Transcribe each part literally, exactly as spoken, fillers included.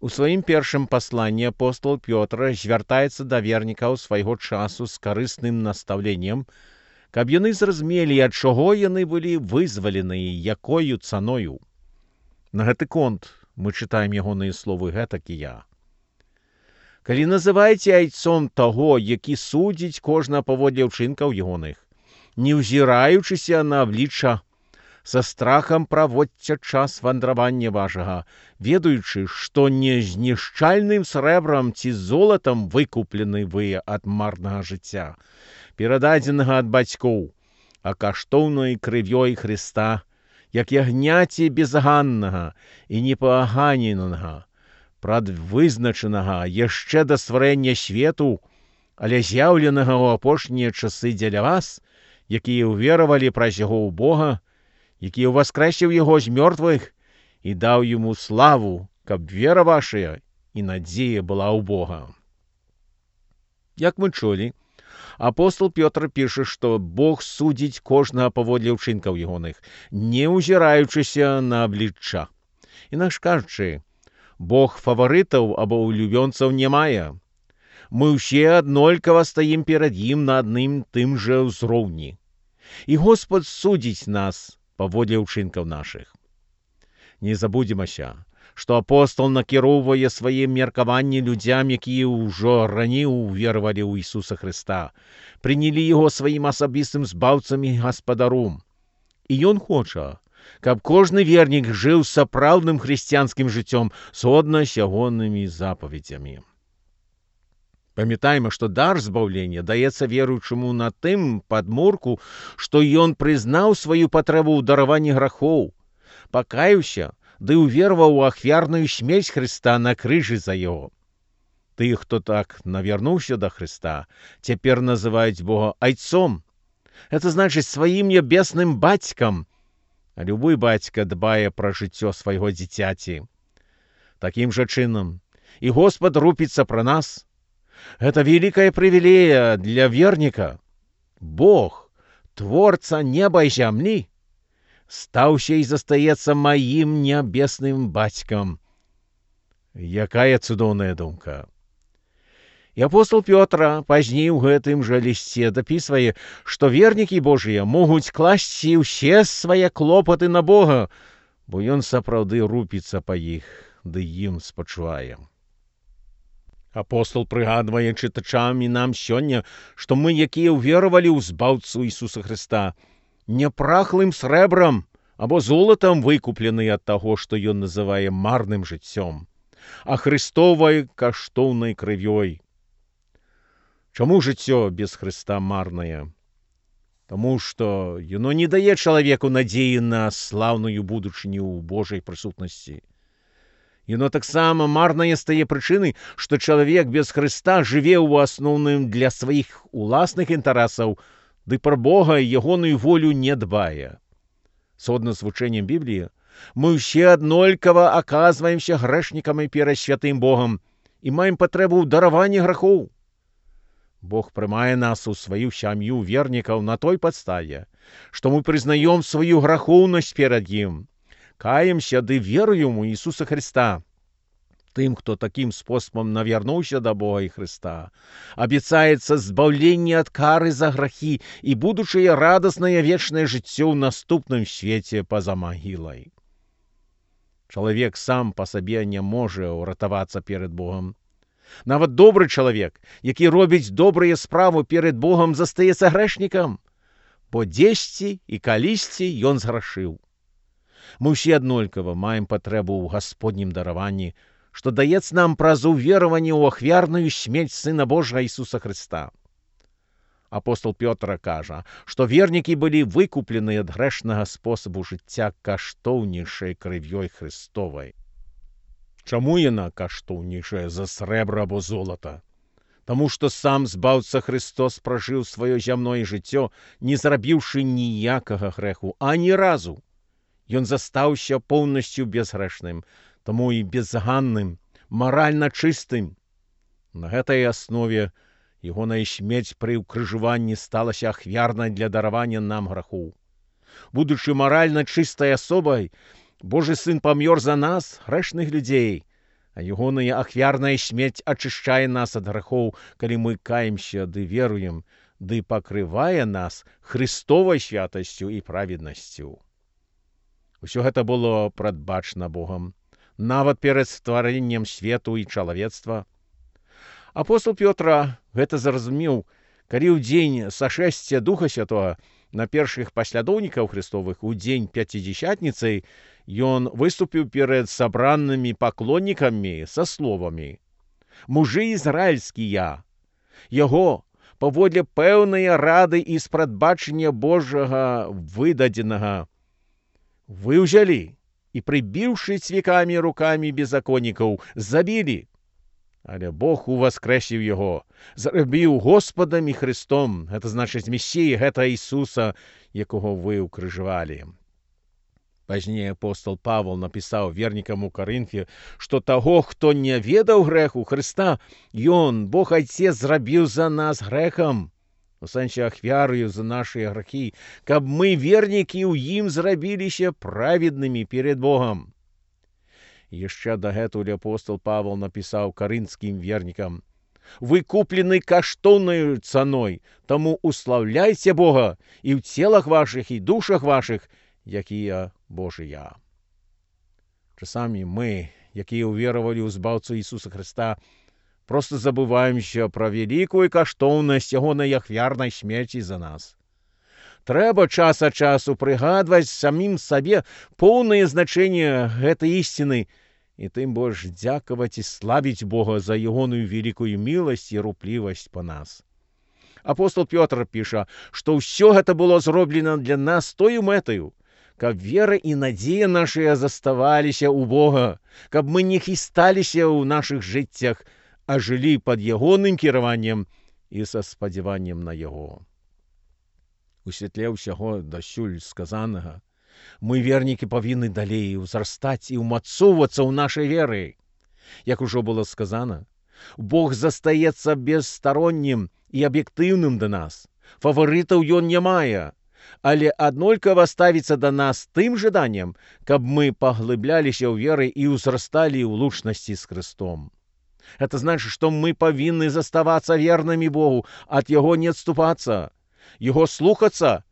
У сваім першым пасланні апостол Пётр звяртаецца да вернікаў свайго часу з карысным настаўленнем, каб яны зразумелі, ад чаго яны былі вызваленыя, якою цаною. На гэты конт мы чытаем ягоныя словы гэтакія. Калі называеце айцом таго, які судзіць кожна паводле ўчынкаў ягоных, не ўзіраючыся на аблічча, са страхам праводзьце час вандравання вашага, ведаючы, што не знішчальным срэбрам ці золатам выкуплены вы ад марнага жыцця, перададзенага ад бацькоў, а каштоўнай крывёй Хрыста, як ягняці безганнага і непаганенага, прадвызначанага яшчэ да стварэння свету, але з'яўленага ў апошнія часы дзеля вас, якія ўверавалі праз яго ў Бога, які ўваскрэсіў яго з мёртвых і даў яму славу, каб вера вашая і надзея была ў Бога. Як мы чулі, апостол Пётр піша, што Бог судзіць кожнага паводле ўчынкаў ягоных, не ўзіраючыся на аблічча. Інакш кажучы, Бог фаварытаў або улюбёнцаў не мае. Мы ўсе аднолькава стаім перад ім на адным тым жа ўзроўні. І Господ судзіць нас паводле ўчынкаў нашых. Не забудземася, што апостол накіроўвае свае меркаванні людзям, якія ўжо раней уверавалі ў Ісуса Хрыста, прынялі яго сваім асабістым збаўцам і гаспадаром. І ён хоча, каб кожны вернік жыў сапраўдным хрысціянскім жыццём згодна з ягонымі запаведзямі. Памятаем, што дар збаўлення даецца веруючаму на тым падмурку, што ён прызнаў сваю патрэбу ў дараванні грахоў, пакаяўся ды ўвераваў у ахвярную смерць Хрыста на крыжы за яго. Тых, хто так навярнуўся да Хрыста, цяпер называюць Бога айцом. Гэта значыць сваім нябесным бацькам. А любы бацька дбае пра жыццё свайго дзіцяці. Такім жа чынам і Господ рупіцца пра нас. Гэта вялікая прывілея для верніка. Бог, творца неба і зямлі, стаўся і застаецца маім нябесным бацькам. Якая цудоўная думка! І апостол Пётр пазней у гэтым жа лісце дапісвае, што вернікі Божыя могуць класці ўсе свае клопаты на Бога, бо ён сапраўды рупіцца па іх, ды ім спачувае. Апостол прыгадвае чытачам і нам сёння, што мы, якія ўверавалі ў збаўцу Ісуса Хрыста, не прахлым срэбрам або золатам выкуплены ад таго, што ён называе марным жыццём, а Хрыстовай каштоўнай крывёй. Чаму жыццё без Хрыста марнае? Таму што яно не дае чалавеку надзеі на слаўную будучыню ў Божай прысутнасці. Яно таксама марнае з тае прычыны, што чалавек без Хрыста жыве ў асноўным для сваіх уласных інтарэсаў, ды пра Бога і ягоную волю не дбае. Згодна з вучэннем Бібліі, мы ўсе аднолькава аказваемся грэшнікамі перад святым Богам і маем патрэбу ў дараванні грахоў. Бог прымае нас у сваю сям'ю вернікаў на той падставе, што мы прызнаём сваю грахоўнасць перад ім, каемся ды веруем у Ісуса Хрыста. Тым, хто такім спосабам навярнуўся да Бога і Хрыста, абяцаецца збаўленне ад кары за грахі і будучае радаснае вечнае жыццё ў наступным свеце па-за магілай. Чалавек сам па сабе не можа ўратавацца перад Богам. Нават добры чалавек, які робіць добрыя справы перад Богам, застаецца грэшнікам, бо дзесьці і калісьці ён зграшыў. Мы ўсе аднолькава маем патрэбу ў Гасподнім дараванні, што даецца нам праз увераванне ў ахвярную смерць Сына Божага Ісуса Хрыста. Апостол Пётр кажа, што вернікі былі выкуплены ад грэшнага спосабу жыцця каштоўнейшай крывёй Хрыстовай. Чаму яна каштоўнейшая за срэбра або золата? Таму што сам збаўца Христос пражыў сваё зямное жыццё, не зрабіўшы ніякага грэху, ані разу. Ён застаўся поўнасцю безгрэшным, таму і безганным, маральна чыстым. На гэтай аснове ягоная смерць пры ўкрыжаванні сталася ахвярнай для даравання нам грахоў. Будучы маральна чыстай асобай, Божы Сын памёр за нас, грэшных людзей, А ягоная ахвярная смерць ачышчае нас ад грахоў, калі мы каемся ды веруем, ды пакрывае нас Христовай святасцю і праведнасцю. Усё гэта было прадбачана Богам, нават перад стварэннем свету і чалавецтва. Апостол Пётра гэта зразумеў, калі ў дзень сашэсця Духа Святога на першых паслядоўнікаў Христовых у дзень пяцідзясятніцы ён выступіў перад сабранымі паклоннікамі са словамі: «Мужы ізраільскія, яго паводле пэўныя рады і з прадбачання Божага выдадзенага вы ўзялі і, прыбіўшы цвікамі рукамі беззаконнікаў, забілі. Але Бог уваскрэсіў яго, зрабіў Господам і Христом, гэта значыць Месіяй, гэта Ісуса, якога вы ўкрыжавалі». Пазней апостол Павел напісаў вернікам у Карынфе, што таго, хто не ведаў грэху Хрыста, ён, Бог Айцец, зрабіў за нас грэхам, у сэнсе ахвярою за нашыя грахі, каб мы, вернікі, ў ім зрабіліся праведнымі перед Богом. Яшчэ дагэтуль апостол Павел напісаў карынскім вернікам: «Вы куплены каштоўнаю цаной, таму услаўляйце Бога і ў целах вашых і душах вашых, якія Божыя». Часамі мы, якія ўверавалі ў збаўцу Ісуса Христа, проста забываемся пра вялікую каштоўнасць ягонай ахвярнай смерці за нас. Трэба час ад часу прыгадваць самім сабе поўнае значэнне гэтай ісціны, і тым больш дзякаваць і славіць Бога за ягоную великую міласць і руплівасць па нас. Апостол Пётр піша, што ўсё гэта было зроблена для нас тою мэтаю, каб вера і надзея нашыя заставаліся ў Бога, каб мы не хісталіся ў нашых жыццях, а жылі пад ягоным кіраваннем і са спадзяваннем на яго. У святле ўсяго дасюль сказанага, мы, вернікі, павінны далей узрастаць і ўмацоўвацца ў нашай веры. Як ужо было сказана, Бог застаецца бесстароннім і аб'ектыўным да нас. Фаварытаў ён не мае, але аднолькава ставіцца да нас тым жаданнем, каб мы паглыбляліся ў веры і ўзрасталі ў лучнасці з Христом. Это значыць, што мы павінны заставацца вернымі Богу, ад яго не адступацца, яго слухацца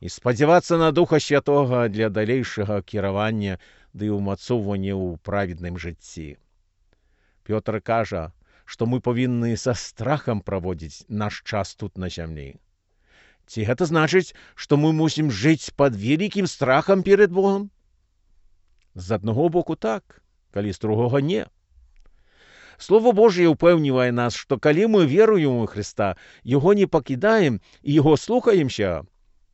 і спадзявацца на Духа Святога для далейшага кіравання ды ўмацоўвання ў праведным жыцці. Пётр кажа, што мы павінны са страхам праводзіць наш час тут на зямлі. Ці гэта значыць, што мы мусім жыць пад вялікім страхам перед Богом? З аднаго боку так, калі з другога не. Слово Божие упэўнівае нас, што калі мы веруем у Христа, яго не пакідаем і яго слухаемся,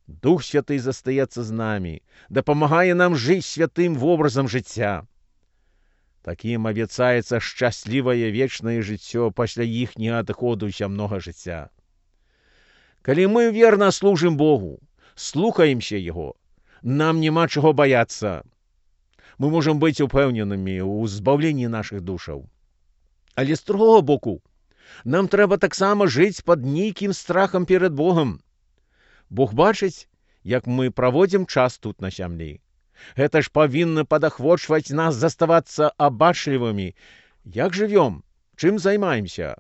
Дух Святы застаецца з намі, дапамагае нам жыць святым вобразам жыцця. Такім абяцаецца шчаслівае вечнае жыццё пасля іхняга адыходу зямнога жыцця. Калі мы верна служым Богу, слухаемся Яго, нам няма чаго баяцца. Мы можам быць упэўненымі ў збаўленні нашых душаў. Але з другого боку, нам трэба таксама жыць пад нейкім страхам перед Богом. Бог бачыць, як мы праводзім час тут на зямлі. Гэта ж павінна падахвочваць нас заставацца абачлівымі. Як жывём? Чым займаемся?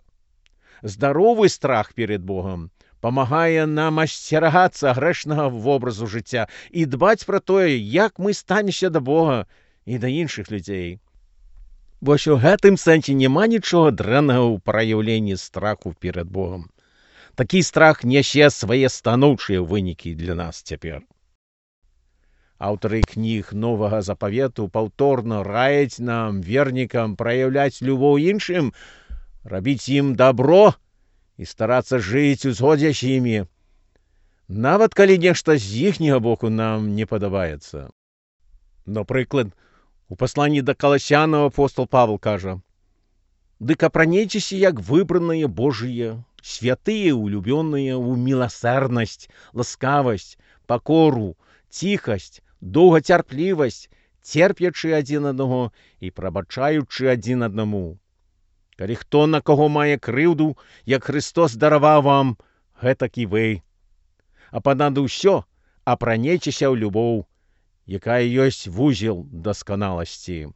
Здаровы страх перед Богом памагае нам асцерагацца грэшнага вобразу жыцця і дбаць пра тое, як мы станемся да Бога і да іншых людзей. Вось у гэтым сэнсе няма нічога дрэннага ў праяўленні страху перед Богом. Такі страх нясе свае станоўчыя вынікі для нас цяпер. Аўтары кніг Новага Запавету паўторна раяць нам, вернікам, праяўляць любоў іншым, рабіць ім дабро і старацца жыць у згодзе з імі, нават калі нешта з іхняга боку нам не падабаецца. Напрыклад, у пасланні да Каласянаў апостол Павел кажа: «Дык апранейцеся, як выбраныя Божыя, святыя, улюбёныя, у міласэрнасць, ласкавасць, пакору, ціхасць, доўгацярплівасць, церпячы адзін аднаго і прабачаючы адзін аднаму. Калі хто на каго мае крыўду, як Христос дараваў вам, гэтак і вы. А панад усё апранейцеся ў любоў, якая ёсць вузел дасканаласці».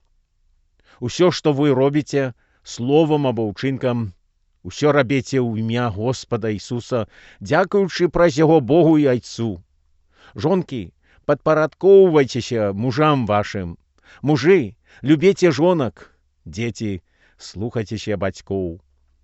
Усё, што вы робіце, словам або ўчынкам, усё рабіце ў імя Господа Ісуса, дзякуючы праз яго Богу і Айцу. Жонкі, падпарадкоўвайцеся мужам вашым. Мужы, любіце жонак. Дзеці, слухайцеся бацькоў.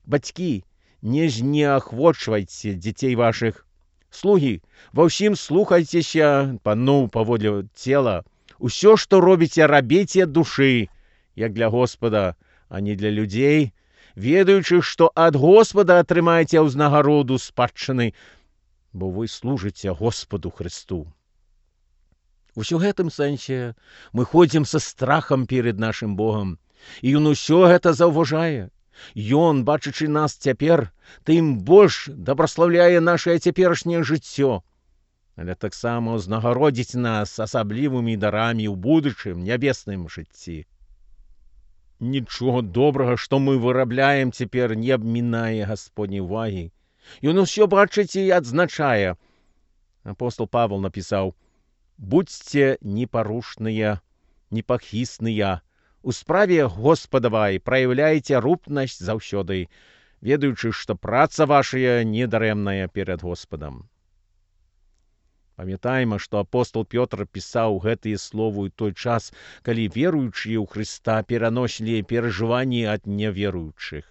Бацькі, не знеахвочвайце дзяцей вашых. Слугі, ва ўсім слухайцеся паноў паводле цела. Усё, што робіце, рабіце ад душы, як для Господа, а не для людзей, ведаючы, што ад Господа атрымаеце ўзнагароду спадчыны, бо вы служыце Господу Христу. У ўсё гэтым сэнсе мы ходзім са страхам перед нашым Богам, і Ён усё гэта заўважае. Ён, бачачы нас цяпер, тым больш дабраслаўляе нашае цяперашняе жыццё, але таксама ўзнагародзіць нас асаблівымі дарамі ў будучым нябесным жыцці. Нічога добрага, што мы вырабляем цяпер, не абмінае Гасподняй увагі. Ён усё бачыць і адзначае. Апостол Павел напісаў: «Будзьце непарушныя, непахісныя, у справе Господавай праяўляйце рупнасць заўсёды, ведаючы, што праца вашая недарэмная перад Господам». Памятаем, што апостол Пётр пісаў гэтыя словы ў той час, калі веруючыя ў Хрыста пераносілі перажыванні ад няверуючых.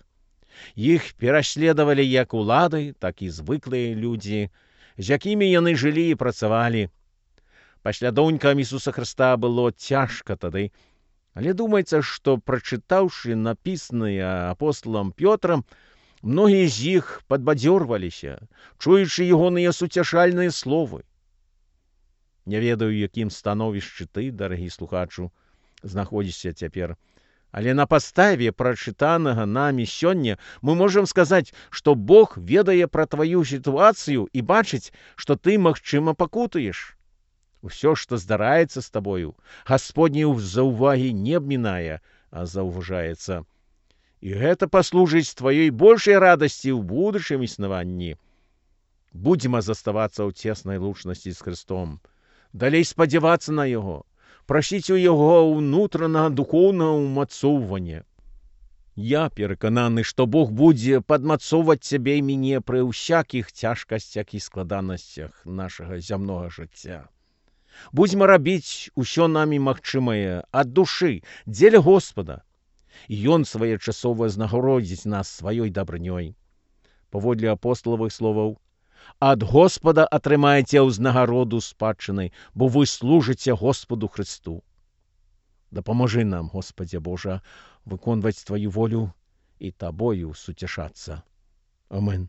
Іх пераследавалі як улады, так і звыклыя людзі, з якімі яны жылі і працавалі. Паслядоўнікам Ісуса Хрыста было цяжка тады, але думаецца, што, прачытаўшы напісанае апостолам Пётрам, многія з іх падбадзёрваліся, чуючы ягоныя суцяшальныя словы. Не ведаю, якім становішчы ты, дарагі слухачу, знаходзішся цяпер, але на падставе прачытанага намі сёння мы можам сказаць, што Бог ведае пра тваю сітуацыю і бачыць, што ты, магчыма, пакутуеш. Усё, што здараецца з табою, Гасподняй заўвагі не абмінае, а заўважаецца. І гэта паслужыць тваёй большай радасці ў будучым існаванні. Будзем заставацца ў цеснай лучнасці з Христом, далей спадзявацца на Яго, прасіць у Яго ўнутранага духоўнага ўмацоўвання. Я перакананы, што Бог будзе падмацоўваць цябе і мяне пры ўсякіх цяжкасцях і складанасцях нашага зямнога жыцця. Будзьма рабіць усё намі магчымае ад душы, дзеля Господа. Ён своечасова знагародзіць нас сваёй дабрынёй. Паводле апосталавых словаў: «Ад Господа атрымаеце ўзнагароду спадчыны, бо вы служыце Господу Христу». Дапамажы нам, Господзе Божа, выконваць тваю волю і табою суцяшацца. Амин.